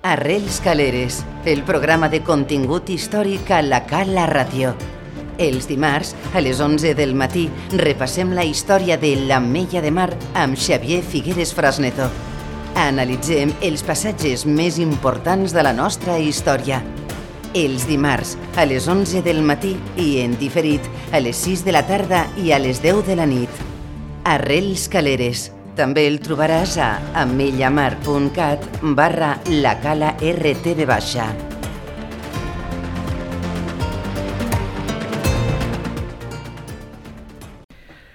Arrels Caleres, el programa de contingut històric a la Cala Ràdio. Els dimarts, a les 11 del matí, repassem la història de l'Ametlla de Mar amb Xavier Figueres Frasneto. Analitzem els passatges més importants de la nostra història. Els dimarts, a les 11 del matí i en diferit, a les 6 de la tarda i a les 10 de la nit. Arrels Caleres. També el trobaràs a ametllamar.cat/lacala-rtv.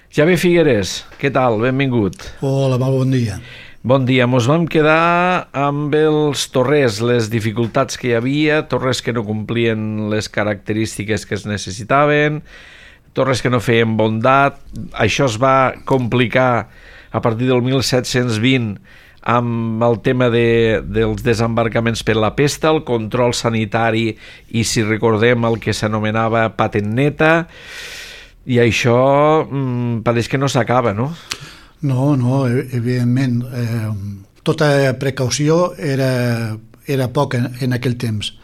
Xavier Figueres, què tal? Benvingut. Hola, bon dia. Bon dia. Mos vam quedar amb els torrers, les dificultats que hi havia, torres que no complien les característiques que es necessitaven, torres que no feien bondat. Això es va complicar a partir del 1720 amb el tema dels desembarcaments per la pesta, el control sanitari i, si recordem, el que s'anomenava patent neta, i això pareix que no s'acaba, no? No, evidentment. Tota precaució era poc en aquell temps.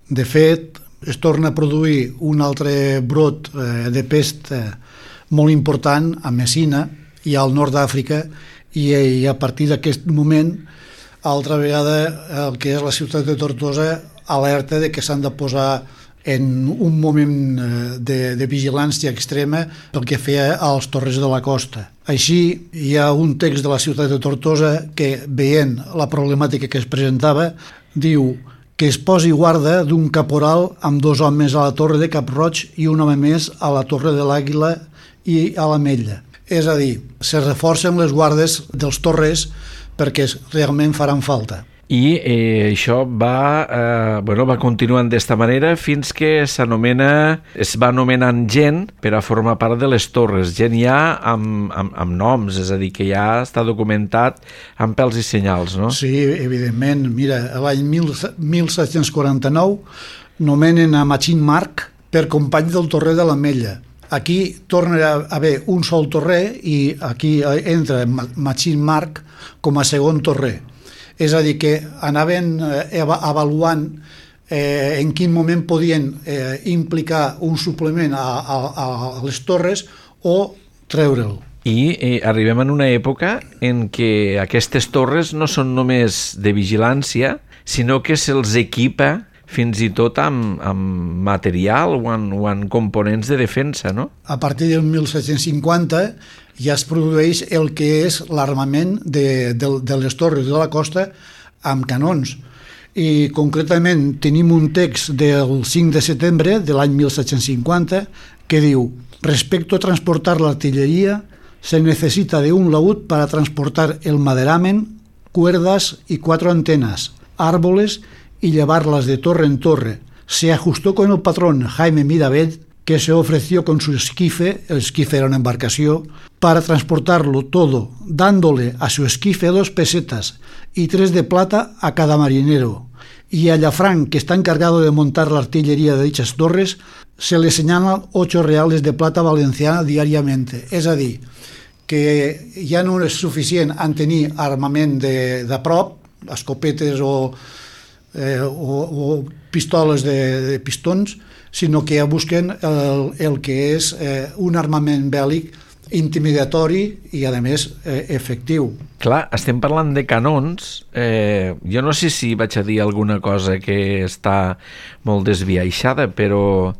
De fet, es torna a produir un altre brot de pest molt important a Messina i al nord d'Àfrica, i a partir d'aquest moment, altra vegada, el que és la ciutat de Tortosa alerta de que s'han de posar en un moment de vigilància extrema pel que feia als torres de la costa. Així, hi ha un text de la ciutat de Tortosa que, veient la problemàtica que es presentava, diu que es posi guarda d'un caporal amb 2 homes a la torre de Cap-roig i un home més a la torre de l'Àguila i a l'Ametlla. És a dir, se reforcen les guardes dels torres perquè realment faran falta. I això va continuant d'esta manera fins que es va anomenant gent per a formar part de les torres, gent ja amb noms, és a dir, que ja està documentat amb pèls i senyals, no? Sí, evidentment. Mira, l'any 1749 nomenen a Machín Marc per company del torrer de l'Ametlla. Aquí torna a haver un sol torrer i aquí entra Machín Marc com a segon torrer. És a dir, que anaven avaluant en quin moment podien implicar un suplement a les torres o treure'l. I arribem en una època en què aquestes torres no són només de vigilància, sinó que se'ls equipa fins i tot amb material o amb components de defensa, no? A partir del 1750 ja es produeix el que és l'armament de les torres de la costa amb canons. I concretament tenim un text del 5 de setembre de l'any 1750 que diu: respecto a transportar la artillería, se necesita de un laúd para transportar el maderamen, cuerdas y 4 antenas, árboles y llevarlas de torre en torre. Se ajustó con el patrón Jaime Mirabell, que se ofreció con su esquife, el esquife era una embarcación, para transportarlo todo, dándole a su esquife 2 pesetas y 3 de plata a cada marinero. Y a Llafranc, que está encargado de montar la artillería de dichas torres, se le señalan 8 reales de plata valenciana diariamente. És a dir, que ja no és suficient en tenir armament de prop, escopetes o pistoles de pistons, sinó que ja busquen el que és un armament bèl·lic intimidatori i, a més, efectiu. Clar, estem parlant de canons. Jo no sé si vaig a dir alguna cosa que està molt desviaixada, però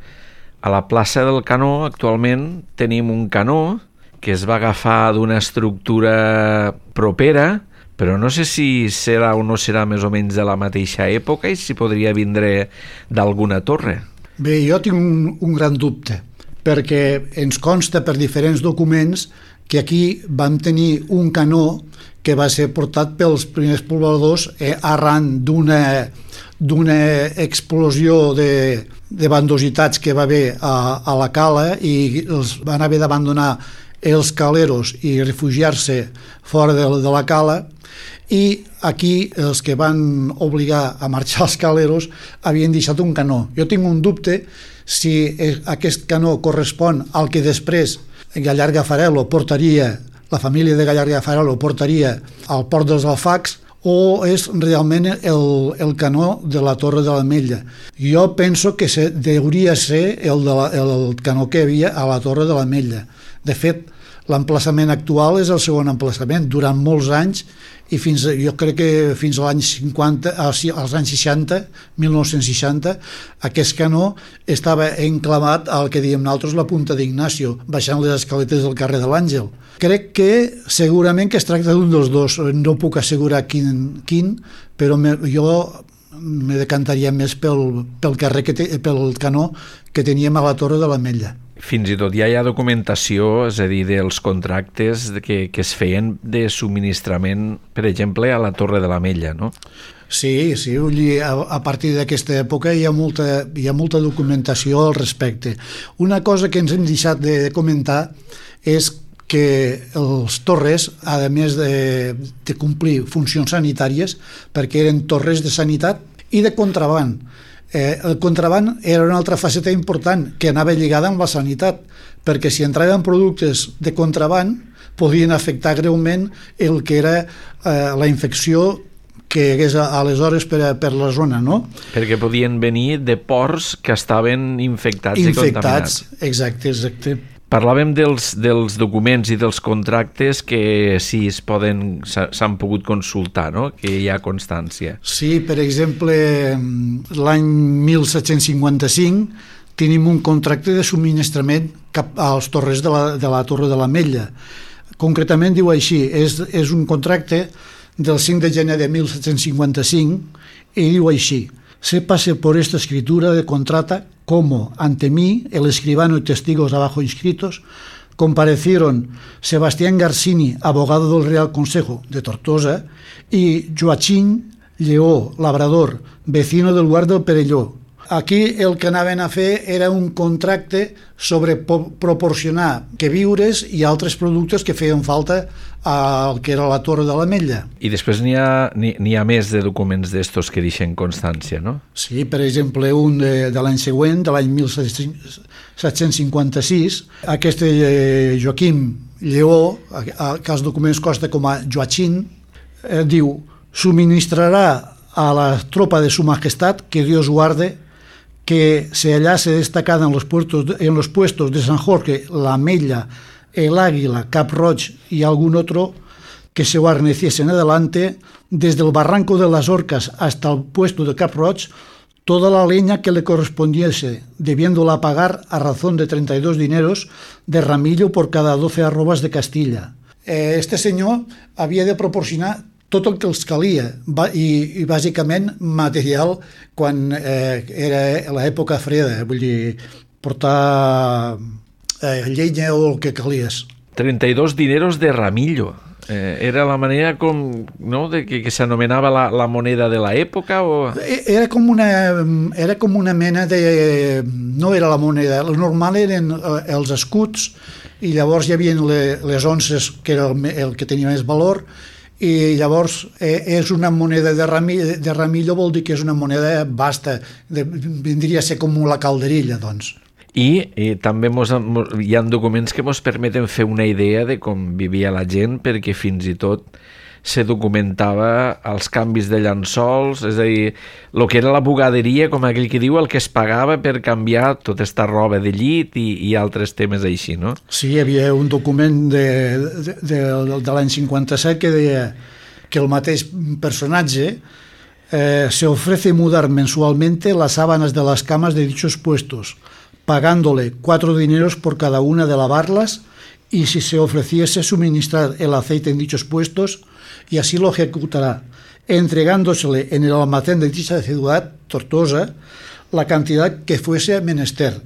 a la plaça del Canó actualment tenim un canó que es va agafar d'una estructura propera, però no sé si serà o no serà més o menys de la mateixa època i si podria vindre d'alguna torre. Bé, jo tinc un gran dubte, perquè ens consta per diferents documents que aquí vam tenir un canó que va ser portat pels primers pobladors arran d'una explosió de bandositats que va haver a la cala i els van haver d'abandonar els caleros i refugiar-se fora de la cala, i aquí els que van obligar a marxar als caleros havien deixat un canó. Jo tinc un dubte si aquest canó correspon al que després Gallarga Farelo portaria, la família de Gallarga Farelo portaria al port dels Alfacs, o és realment el canó de la Torre de l'Ametlla. Jo penso que hauria ser el canó que hi havia a la Torre de l'Ametlla. De fet, l'emplaçament actual és el segon emplaçament. Durant molts anys, i jo crec que fins als anys 60, 1960, aquest canó estava enclavat al que diem nosaltres la Punta d'Ignacio, baixant les escaletes del carrer de l'Àngel. Crec que segurament que es tracta d'un dels dos, no puc assegurar quin, però jo me decantaria més pel canó que teníem a la Torre de l'Ametlla. Fins i tot ja hi ha documentació, és a dir, dels contractes que es feien de subministrament, per exemple, a la Torre de l'Ametlla, no? Sí, a partir d'aquesta època hi ha molta documentació al respecte. Una cosa que ens hem deixat de comentar és que els torres, a més de complir funcions sanitàries, perquè eren torres de sanitat i de contraban. El contraban era una altra faceta important que anava lligada amb la sanitat, perquè si entraven productes de contraban podien afectar greument el que era la infecció que hi hagués aleshores per la zona, no? Perquè podien venir de ports que estaven infectats i contaminats. Exacte. Parlàvem dels documents i dels contractes que sí s'han pogut consultar, no? Que hi ha constància. Sí, per exemple, l'any 1755 tenim un contracte de subministrament cap als torres de la Torre de l'Ametlla. Concretament diu així, és un contracte del 5 de gener de 1755 i diu així: se pase por esta escritura de contrata como ante mí, el escribano y testigos abajo inscritos, comparecieron Sebastián Garcini, abogado del Real Consejo de Tortosa, y Joachim Lleó, labrador, vecino del lugar del Perelló. Aquí el que anaven a fer era un contracte sobre proporcionar queviures i altres productes que feien falta al que era la Torre de l'Ametlla. I després n'hi ha més de documents d'estos que deixen constància, no? Sí, per exemple, un de l'any següent, de l'any 1756, aquest Joaquim Lleó, que els documents consta com a Joachim, diu: suministrarà a la tropa de su majestad, que Dios guarde, que se hallase destacada en los puestos de San Jorge, la Ametlla, el Águila, Cap Roig y algún otro, que se guarneciesen adelante, desde el barranco de las Orcas hasta el puesto de Cap Roig, toda la leña que le correspondiese, debiéndola pagar a razón de 32 dineros de ramillo por cada 12 arrobas de Castilla. Este senyor havia de proporcionar tot el que els calia i bàsicament material quan era l'època freda, vull dir, portar llenya o el que calies. 32 dineros de ramillo. Era la manera com, no, de que s'anomenava la moneda de l'època? O... Era com una mena de... No era la moneda, el normal eren els escuts i llavors hi havia les onces, que era el que tenia més valor, i llavors és una moneda de ramillo, vol dir que és una moneda vasta, vindria a ser com la calderilla, doncs. I també hi ha documents que ens permeten fer una idea de com vivia la gent, perquè fins i tot se documentava els canvis de llençols, és a dir, el que era la bugaderia, com aquell que diu, el que es pagava per canviar tota esta roba de llit i altres temes així, no? Sí, hi havia un document de l'any 57 que deia que el mateix personatge se ofrece mudar mensualmente las sábanas de las camas de dichos puestos, pagándole 4 dineros por cada una de lavarlas, y si se ofreciese suministrar el aceite en dichos puestos, y así lo ejecutará, entregándosele en el almacén de dicha ciudad, Tortosa, la cantidad que fuese menester.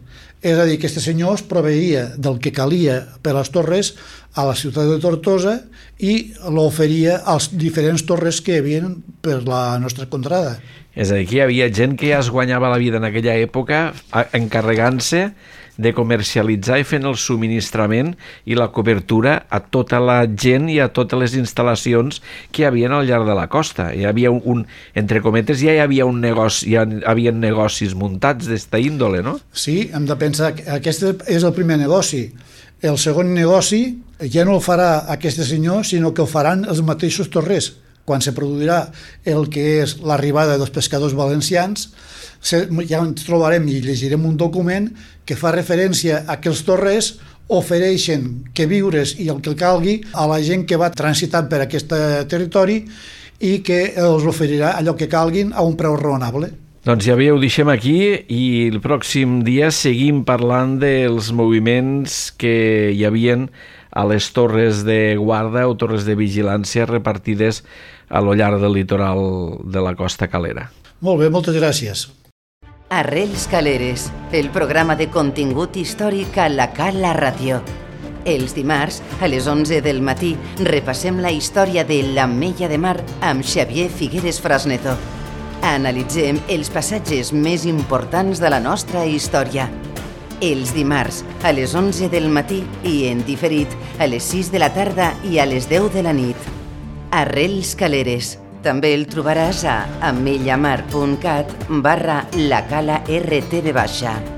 És a dir, que este senyor es proveïa del que calia per a les torres a la ciutat de Tortosa i l'oferia als diferents torres que hi havia per la nostra contrada. És a dir, que hi havia gent que ja es guanyava la vida en aquella època encarregant-se de comercialitzar i fent el subministrament i la cobertura a tota la gent i a totes les instal·lacions que hi havia al llarg de la costa. Hi havia entre cometes, ja hi havia un negoci, ja havia negocis muntats d'esta índole, no? Sí, hem de pensar que aquest és el primer negoci. El segon negoci ja no el farà aquest senyor, sinó que el faran els mateixos torrers. quan se produirà el que és l'arribada dels pescadors valencians, ja ens trobarem i llegirem un document que fa referència a que els torrers ofereixen que viures i el que calgui a la gent que va transitant per aquest territori i que els oferirà allò que calguin a un preu raonable. Doncs ja ho deixem aquí i el pròxim dia seguim parlant dels moviments que hi havien a les torres de guarda o torres de vigilància repartides a lo llarg del litoral de la Costa Calera. Molt bé, moltes gràcies. Arrels Caleres, el programa de contingut històric a la Cala Ràdio. Els dimarts, a les 11 del matí, repassem la història de l'Ametlla de Mar amb Xavier Figueres Frasneto. Analitzem els passatges més importants de la nostra història. Els dimarts, a les 11 del matí i en diferit, a les 6 de la tarda i a les 10 de la nit. Arrels Caleres. També el trobaràs a ametllamar.cat/lacala-rtv.